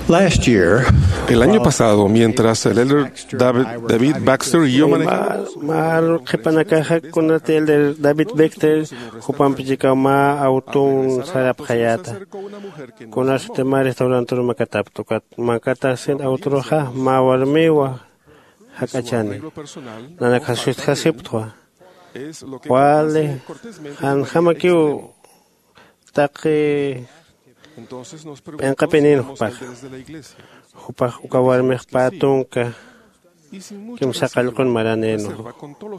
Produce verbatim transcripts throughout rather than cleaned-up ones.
Last year, el año pasado, mientras el elder David, David Baxter y yo manejamos, mar qhipanakaxa kunati elder David Baxter jupampi chikaw mä awtun sarapxayäta. Kunasati mä restaurantur makatapta ukat makatasin awturuxa mä warmiwa jak'achani. Nanakxa sustjasiptwa wali janjamakiw taqi p'inqapinin jupaxa. Jupax uka warmix pä tunka kimsa qallqun maranïnwa.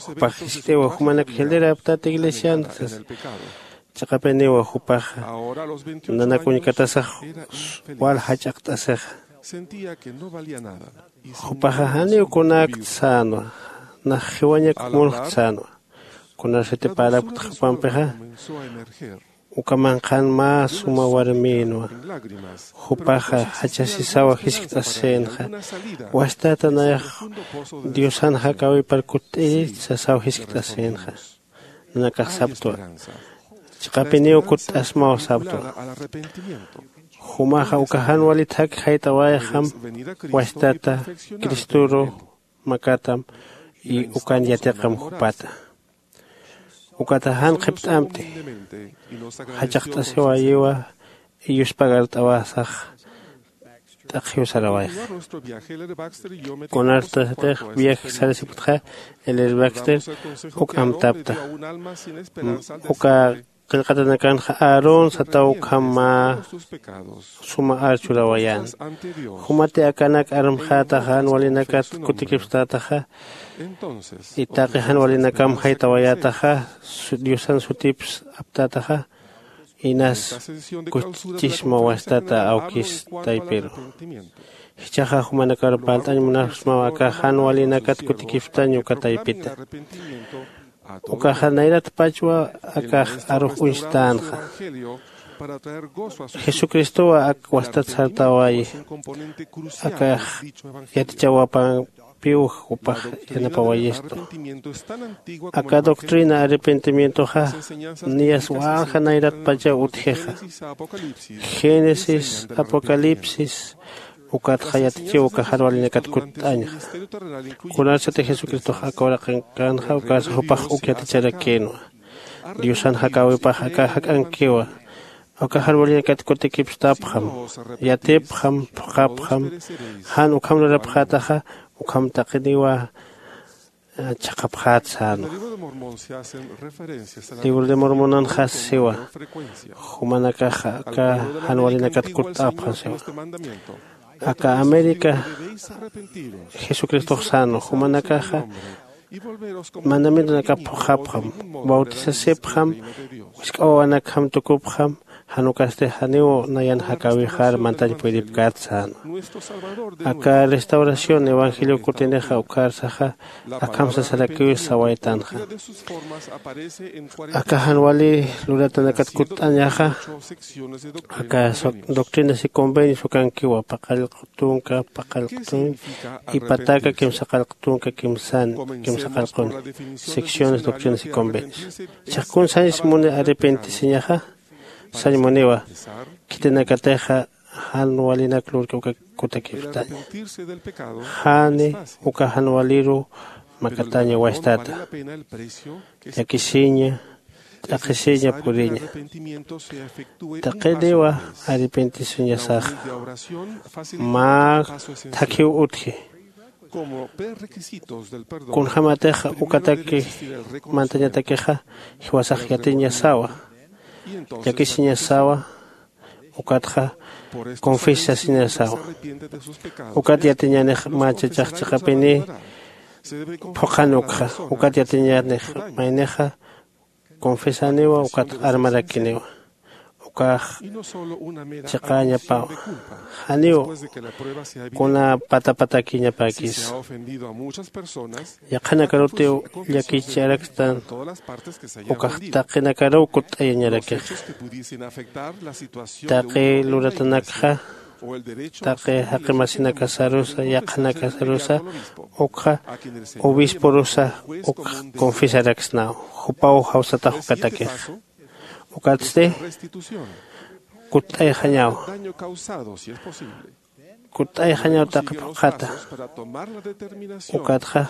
Jupax jiskt'iwa jumanak jildiraptät iglesian sasa. Chiqapiniwa jupaxa nanak uñkatasax wal jach'aqt'asixa. Jupaxa janiw kunäkt sänwa. Nax jiwañak munxt sänwa. Kunasati parapktxa jupampixa uka manqhan mä suma warmïnwa. Jupaxa jachasisaw jiskt'asïnxa. Wastata nayax diosan jakäwipar kutt'iri sasaw jiskt'asïnxa. Nanakax saptwa chiqapiniw kutt'asmaw saptwa. Jumaxa uka jan walit jak jayt'awayxam wastata cristoru makatam y ukan yatiqam jupata. Ukata jan qhipt'amti jachaqt'asiwayiwa y yuspagart'awasax t'aqhiw sarawayxa. Kunartasatix viaje sarasipktxa el herbaxter uk amtapta uka qillqatanakanxa aarón sataw ukham mä suma ar churawayän. Jumati akanak armxätaxa jan walinakat kutikipstätaxa y taqi jan walinakam jaytawayätaxa diosan sutips aptätaxa inas kuchchisma wastata awkis taypiru. Jichhaxa jumanakar parlt'añ munapxsmaw aka jan walinakat kutikipstañ uka taypita. Ukaxa nayratpachwa akax arux uñstänxa. Jesucristowa ak wastat sartawayi akax yatichawapampiw jupax yanapawayistu. Aka doctrina arrepentimientoxa niyas walja nayratpachaw utjixa. Génesis, apocalipsis ukatxa yatichiw uka jan walinakat kutt'añxa. Kunasati jesucristox aka uraqinkanxa ukasa jupax uk yaticharakïnwa. Diosan jakäwipax aka jak'ankiwa. Uka jan walinakat kutikipstapxam yatipxam phuqhapxam jan ukham lurapxätaxa ukham taqiniwa chhaqhapxät sänwa. Libro de mormonanxa siwa jumanakaxa aka jan walinakat kutt'apxam siwa. Aka américa jesucristox sänwa jumanakaxa mandamientonakap phuqhapxam bautisasipxam wisk'awawanakjam tukupxam jan ukasti janiw nayan jakäwixar mantañ puydipkät sänwa. Aka restauración evangelio kutinixa ukharsaxa akham sasarakiw sawaytanxa. Aka jan wali luratanakat kutt'añaxa aka doctrinas y convenios ukankiwa paqallq tunka paqallq tunka y pataka kimsa qallq tunka kimsan kimsa qallqun secciones doctrinas y convenios. Chhaqkun sañs muni arrepentisiñaxa sañ muniwa khitinakatixa jan walinak lurki uka kutakipstaña. Jani uka jan waliru makataña wastata llakisiña t'aqhisiña puriña. Taqiniwa arrepentisiñasaxa mä thakhiw utji. Kunjämatix ukataki mantañatakixa jiwasax yatiñasawa llakisiñasawa ukatxa confesasiñasawa. Ukat yatiñanix mä chachax chiqapini phuqhan ukxa ukat yatiñanix maynixa confesaniwa ukat armarakiniwa. Ukax chiqäñapawa. Janiw kuna patapatakiñapäkis yaqhanakarutiw llakicharakstan ukax taqinakaruw kutt'ayañarakix. Taqi luratanakxa taqi jaqimasinakasarusa yaqhanakasarusa ukxa obisporusa ukx confesaraksnaw jupaw jawsatax ukatakix. Ukatsti kutt'ayxañaw. kutt'ayxañaw taqi phuqhata. Ukatxa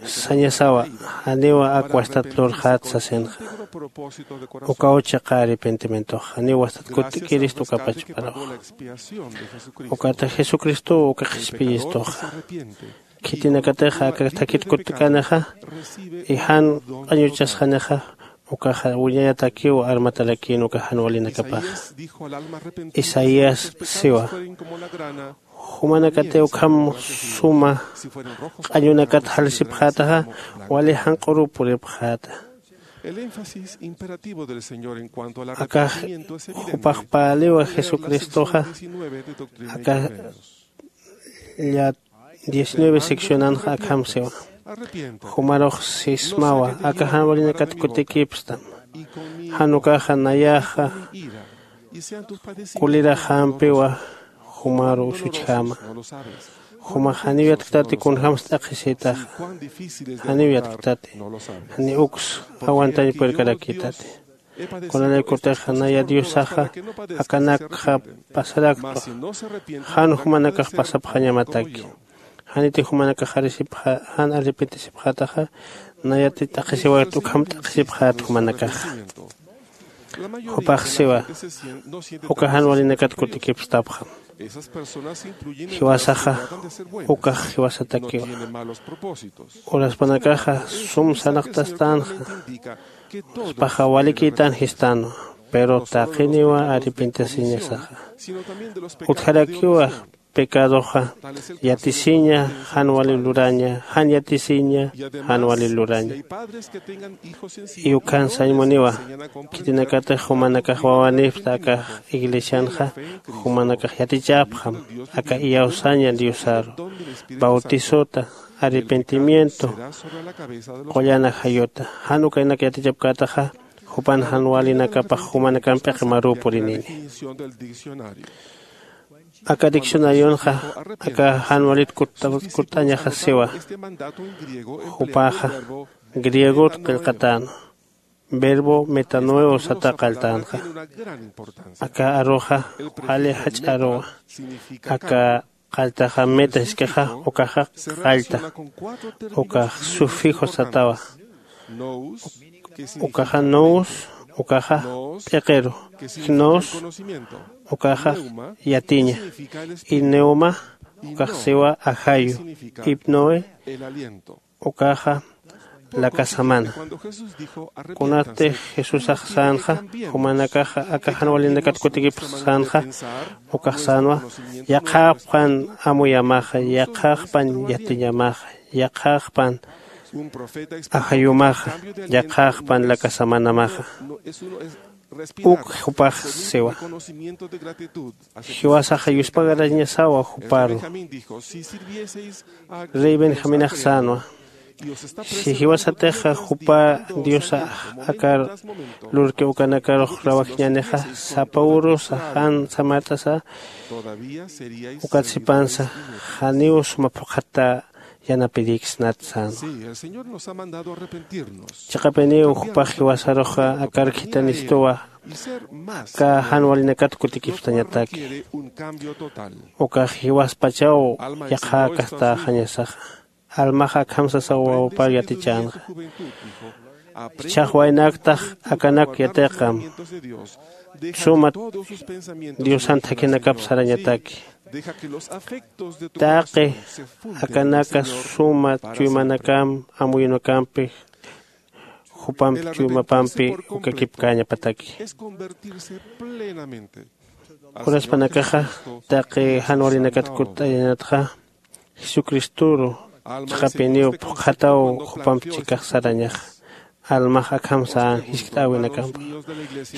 sañasawa, janiwa ak wastat lurxät sasinxa. Ukaw chiqa arrepentimientoxa janiw wastat kutt'kirist uka pachparuxa. Ukata jesucristow uka qhispiyistuxa. Khitinakatixa aka thakit kutt'kanixa y jan q'añuchasxanixa, ukaxa wiñayatakiw armatarakïn uka jan walinakapaxa. Isaías siwa, jumanakatiw ukham suma q'añunakat jalasipxätaxa, wali janq'uruw puripxäta. Akax jupax päliwa jesucristoxa. Aka llat diecinueve seccionanxa akham siwa. Jumarux sismawa aka jan walinakat kutikipstam. Jan ukaxa nayaxa kuliraxampiwa. Jumaru usuchjama. Jumax janiw yatktati kunjämsa t'aqhisïtaxa. Janiw yatktati. Janiw uks aguantañ purirkarakïtati. Kunalaykutix naya diosaxa akanakxa pasaraktwa. Jan jumanakax pasapxañamataki. Janiti jumanakax arisipxa jan arrepentisipxätaxa. Nayati t'aqhisiwayt ukham t'aqhisipxät jumanakaxa. Jupax siwa, uka jan walinakat kutikipstapxam. Jiwasaxa ukax jiwasatakiwa. Uraspanakaxa sum sarnaqtastänxa. Jupaxa walikïtän jistänwa. Pero taqiniwa arrepentisiñasaxa. Utjarakiwa pecadoxa yatisiña jan wali luraña jan yatisiña jan wali luraña. Y ukhan sañ muniwa. Khitinakatix jumanakax wawanipsta akax iglesianxa jumanakax yatichapxam aka iyawsaña diosaru, bautisota, arrepentimiento, qullan ajayuta. Jan ukanak yatichapkätaxa jupan jan walinakapax jumanakamp p'iqi maruw purinini. Aka diccionarionxa aka jan walit kutt'añaxa siwa. Jupaxa griegot qillqatänwa. Verbo metanoeo sata qalltänxa. Aka aruxa wali jach'a aruwa. Aka qalltaxa meta jiskixa ukaxa qallta. Ukax sufijo satawa. Ukaxa nous ukaxa p'iqiru. Gnos ukaxa yatiña. Y neuma ukax siwa ajayu. Hipnoe ukaxa lakasamana. Kunatix jesusax sänxa jumanakaxa aka jan walinakat kutikipx sänxa ukax sänwa. Yaqhaqpan amuyamaxa yaqhaqpan yatiñamaxa yaqhaqpan ajayumaxa yaqhaqpan lakasamanamaxa. Uk jupax siwa. Jiwasaxa yuspagarañasawa juparu. Rey benjaminax sänwa. Si jiwasatixa jupa diosa akar lurki ukanakarux rawajiñanixa sapa urusa jan samart'asa ukat sipansa janiw suma phuqhata yanapiriksnat sänwa. Chiqapiniw jupax jiwasaruxa akar khithanistuwa. Aka jan walinakat kutikipstañataki. Ukax jiwaspachaw yaqhäkastäxañasaxa. Almaxa akham sasaw wawapar yatichänxa. Jichhax waynaktax akanak yatiqam. Sumat diosan thakhinakap sarañataki. Taqi akanaka suma chuymanakamp amuyunakampi jupampi chuymapampi ukakipkäñapataki. Uraspanakaxa taqi jan walinakat kutt'ayañatxa jesucristoru chiqapiniw phuqhataw jupamp chikax sarañaxa. Almax akham sän jiskt'äwinakampa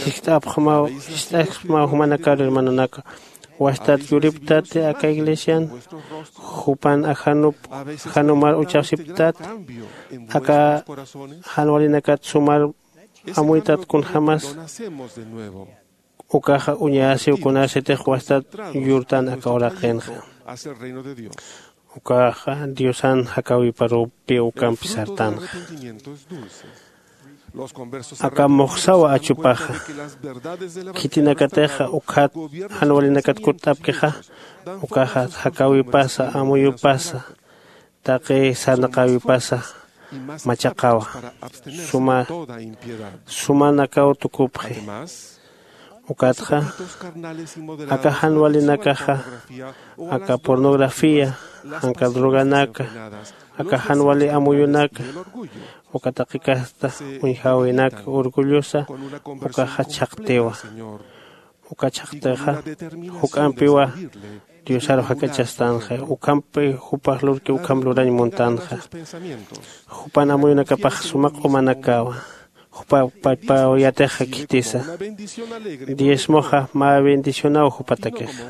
jiskt'apxmaw jiskt'askmaw jumanakar hermanonaka. Wastat yuriptati aka iglesian jupan ajanup ajanumar uchasiptati. Aka jan walinakat sumar amuytat kunjämas. Ukaxa uñasiw kunasitix wastat yurtan aka uraqinxa. Ukaxa diosan jakawiparupi ukampi sartanxa. Aka muxsawa achupaxa, khitinakatixa ukhat jan walinakat kutt'apkixa, ukaxa jakäwipasa, amuyupasa, taqi sarnaqäwipasa machaqawa. Suma sumanakaw tukupxi. Ukatxa aka jan walinakaxa, aka pornografía, janka droganaka, aka jan wali amuyunaka, uka taqi kasta uñjäwinaka orgullosa, ukaxa chhaqtiwa. Uka chhaqtixa juk'ampiwa diosaru jak'achastanxa, ukhampi jupax lurki ukham lurañ muntanxa. Jupan amuyunakapax suma q'umanakawa. Jupa pachpaw yatixa khitisa. Diezmoxa mä bendicionaw jupatakixa,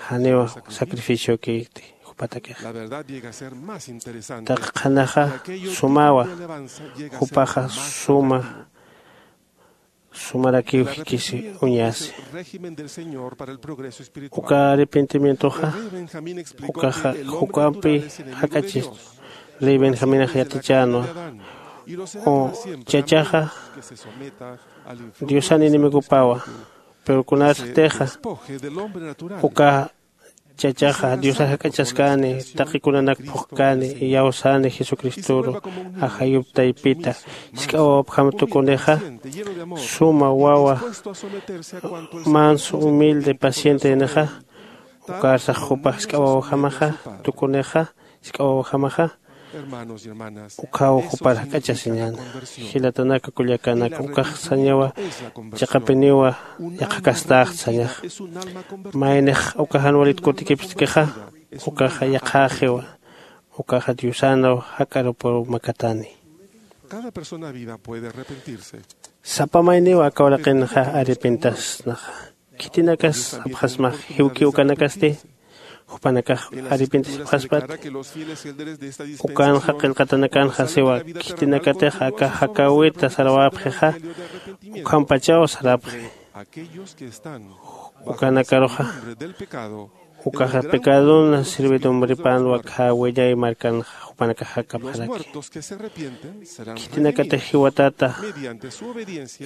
janiw sacrificiokiti jupatakixa. Taqi qhanaxa sumawa, jupaxa suma sumarakiw jikisi uñasi. Uka arrepentimientoxa ukaxa juk'ampi jak'achistu. Rey benjaminax yatichänwa, u chachaxa diosan enemigopawa. Pero kunasatixa uka chachaxa diosax jak'achaskäni, taqi kunanak phuqkäni, iyawsäni jesucristoru ajayup taypita jisk'a wawapjam tukunixa, suma wawa manso humilde pacientenixa, ukarsax jupax jisk'a wawajamaxa tukunixa, jisk'a wawajamaxa. Ukhaw jupar jak'achasiñäna. Jilatanaka kullakanaka, ukax sañawa chiqapiniwa yaqha kastäxt sañaxa. Maynix uka jan walit kutikipstkixa, ukaxa yaqhäxiwa. Ukaxa diosanaw jak'arupaw makatani. Sapa mayniw aka uraqinxa arrepentasnaxa. Khitinakas sapxasmax jiwkiw ukanakasti? Jupanakax arrepentisipxaspat. Ukanxa qillqatanakanxa siwa, khitinakatix aka jakäwita sarawäpxixa ukhampachaw sarapxi. Ukanakaruxa ukaxa pecadon sirvidumbripänwa khä wiñay markanxa jupanakax jakapxaraki. Khitinakatix jiwatata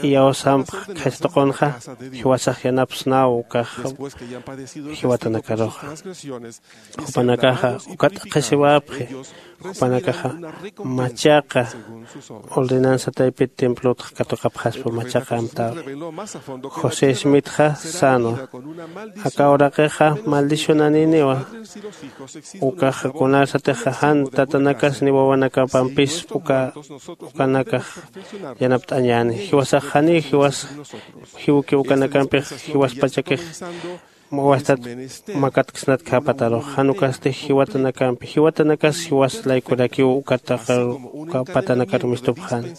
iyawsampx khaysa tuqunxa, jiwasax yanapsnaw ukax jiwatanakaruxa. Jupanakaxa uka t'aqhisiwapxi. Jupanakaxa machaqa ordenanza taypit templotxa katuqapxaspa machaqa amtäwi. José smitxa sänwa, aka uraqixa maldicionaniniwa. Ukaxa kunarsatixa jan tatanakas ni wawanakapampis uka ukanakax yanapt'añäni. Jiwasax janiw jiwas jiwki ukanakampix jiwaspachakix wastat makatksnat khäpatarux. Jan ukasti jiwatanakampi jiwatanakas jiwas laykurakiw uka patanakar mistupxäni.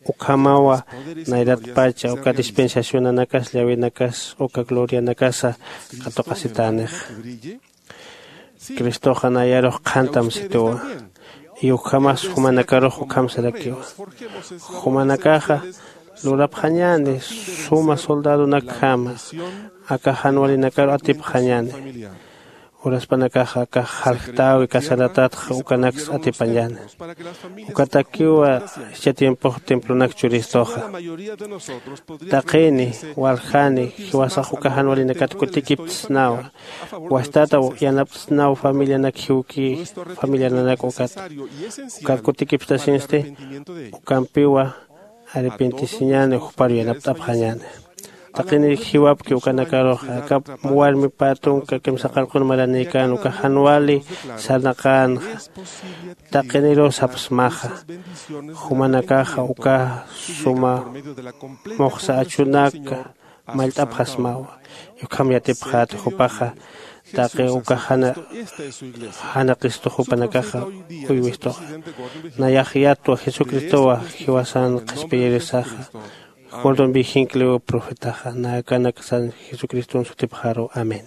Ukhamawa nayratpacha uka dispensacionanakas llawinakas uka glorianakasa katuqasitänix. Cristoxa nayarux qhantam situwa. Y ukhamas jumanakarux ukham sarakiwa. Jumanakaxa lurapxañäni suma soldadonakjama aka jan walinakaru atipxañäni. Uraspanakaxa aka jaljtäwi casaratatxa ukanaks atipañäni. Ukatakiwa jichha tiempox templonak churistuxa. Taqini waljani jiwasax uka jan walinakat kutikiptsnawa. Wastata yanaptsnaw familianak jiwki familiananak ukat ukat kutikipstasinsti. Ukampiwa arrepentisiñäni jupar yanapt'apxañäni. Taqini jiwapki ukanakaruxa aka warmi pä tunka kimsa qarqun maranïkän uka jan wali sarnaqänxa. Taqiniruw sapsmaxa jumanakaxa uka suma muxsa achunaka mallt'apxasmawa. Ukham yatipxäta jupaxa taqi uka jana janaqistux jupanakaxa uywistuxa. Nayax yatwa jesucristowa jiwasan qhispiyirisaxa. Jordon vijinkliw profetaxa nakanaksan jesucriston sutipxaru amén.